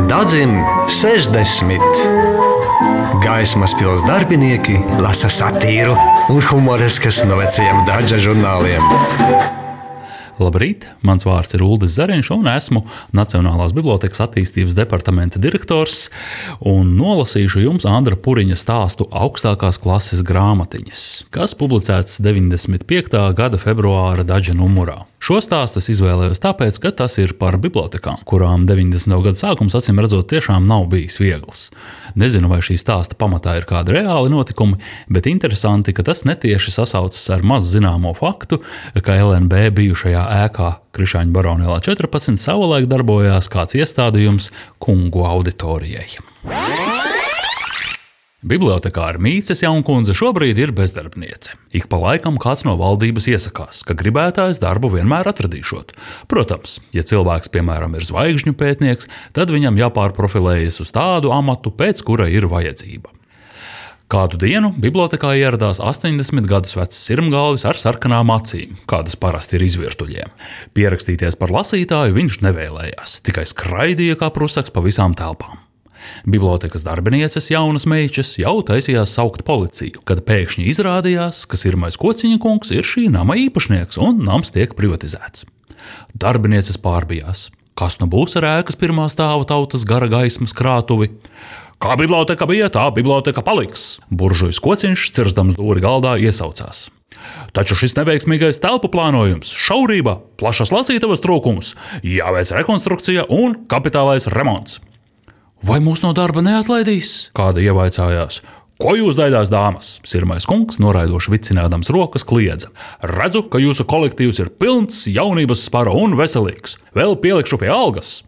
Dadzim 60. Gaismas pils darbinieki lasa satīru un humoriskas no vecajiem Daža žurnāliem. Labrīt, mans vārds ir Uldis Zariņš un esmu Nacionālās bibliotēkas attīstības departamenta direktors un nolasīšu jums Andra Puriņa stāstu augstākās klases grāmatiņas, kas publicēts 95. gada februāra Daža numurā. Šo stāstu es izvēlējos tāpēc, ka tas ir par bibliotekām, kurām 90. gada sākums acīm redzot tiešām nav bijis viegls. Nezinu, vai šī stāsta pamatā ir kādi reāli notikumi, bet interesanti, ka tas netieši sasaucas ar maz zināmo faktu, ka LNB bijušajā ēkā Krišāņu Baronēlā 14 savulaik darbojās kāds iestādījums kungu auditorijai. Bibliotekāra Mīces Jaunkundze šobrīd ir bezdarbniece. Ik pa laikam kāds no valdības iesakās, ka gribētājs darbu vienmēr atradīšot. Protams, ja cilvēks, piemēram, ir zvaigžņu pētnieks, tad viņam jāpārprofilējas uz tādu amatu, pēc kura ir vajadzība. Kādu dienu bibliotekā ieradās 80 gadus vecs sirmgalvis ar sarkanām acīm, kādas parasti ir izvirtuļiem. Pierakstīties par lasītāju viņš nevēlējās, tikai skraidīja kā prusaks pa visām telpām. Bibliotekas darbinieces jaunas meičas jau taisījās saukt policiju, kad pēkšņi izrādījās, ka Sirmais Kociņa kungs ir šī nama īpašnieks un nams tiek privatizēts. Darbinieces pārbijās. Kas nu būs ar ēkas pirmā stāva tautas gara gaismas krātuvi? Kā biblioteka bija, tā biblioteka paliks. Buržujs Kociņš, cirzdams dūri galdā, iesaucās. Taču šis neveiksmīgais telpu plānojums, šaurība, plašas lasītavas trūkums, jāveic rekonstrukcija un kapitālais remonts. Vai mūs no darba neatlaidīs? Kāda ievaicājās. Ko jūs daidās, dāmas? Sirmais kungs, noraidoši vicinādams rokas, kliedza. Redzu, ka jūsu kolektīvs ir pilns jaunības spara un veselīgs. Vēl pielikšu pie algas.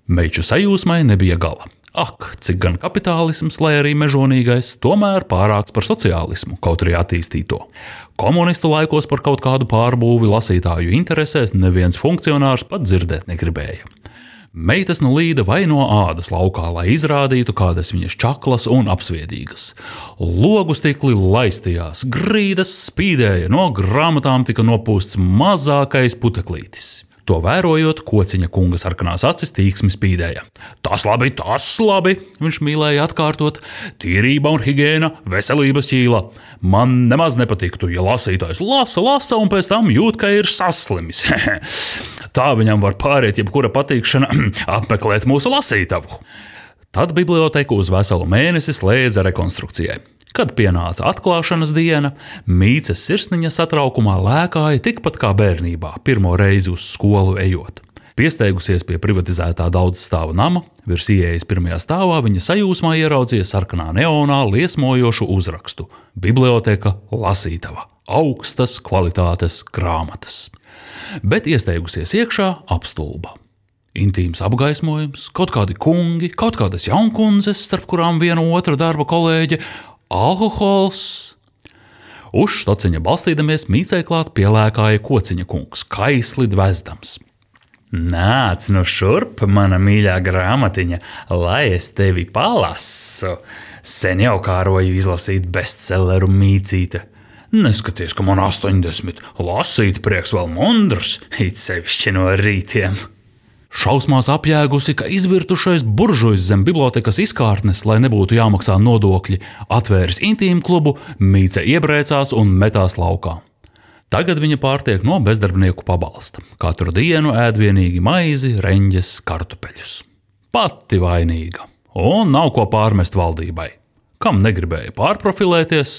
Meiču sajūsmai nebija gala. Ak, cik gan kapitālisms, lai arī mežonīgais, tomēr pārāks par sociālismu, kaut arī attīstīto. Komunistu laikos par kaut kādu pārbūvi lasītāju interesēs neviens funkcionārs pat dzirdēt negribēja. Meitas nu līda vai no ādas laukā, lai izrādītu, kādas viņas čaklas un apsviedīgas. Logu stikli laistījās, grīdas spīdēja, no grāmatām tika nopūsts mazākais puteklītis. To vērojot, Kociņa kunga sarkanās acis tīksmi spīdēja. Tas labi, viņš mīlēja atkārtot. Tīrība un higiēna, veselības ķīla. Man nemaz nepatiktu, ja lasītājs lasa un pēc tam jūt, ka ir saslimis. Tā viņam var pāriet jebkura patīkšana apmeklēt mūsu lasītavu. Tad biblioteku uz veselu mēnesi slēdza rekonstrukcijai. Kad pienāca atklāšanas diena, Mīces sirsniņa satraukumā lēkāja tikpat kā bērnībā, pirmo reizi uz skolu ejot. Piesteigusies pie privatizētā daudzstāvu nama, virs ieejas pirmajā stāvā viņa sajūsmā ieraudzīja sarkanā neonā liesmojošu uzrakstu – Biblioteka lasītava, augstas kvalitātes grāmatas. Bet iesteigusies iekšā apstulba. Intīms apgaismojums, kaut kādi kungi, kaut kādas jaunkundzes, starp kurām viena otra darba kolēģe, alkohols. Uz štociņa balstīdamies Mīcei klāt pielēkāja Kociņa kungs, kaisli dvezdams. Nāc nu šurp, mana mīļā grāmatiņa, lai es tevi palasu. Sen jau kāroju izlasīt bestselleru Mīcīte. Neskaties, ka man 80, lasīt prieks vēl mundrs, it sevišķi no rītiem. Šausmās apjēgusi, ka izvirtušais buržujs zem bibliotekas izkārtnes, lai nebūtu jāmaksā nodokļi, atvēris intīmu klubu, Mīce iebrēcās un metās laukā. Tagad viņa pārtiek no bezdarbnieku pabalsta. Katru dienu ēd vienīgi maizi, reņģes, kartupeļus. Pati vainīga. Un nav ko pārmest valdībai. Kam negribēja pārprofilēties,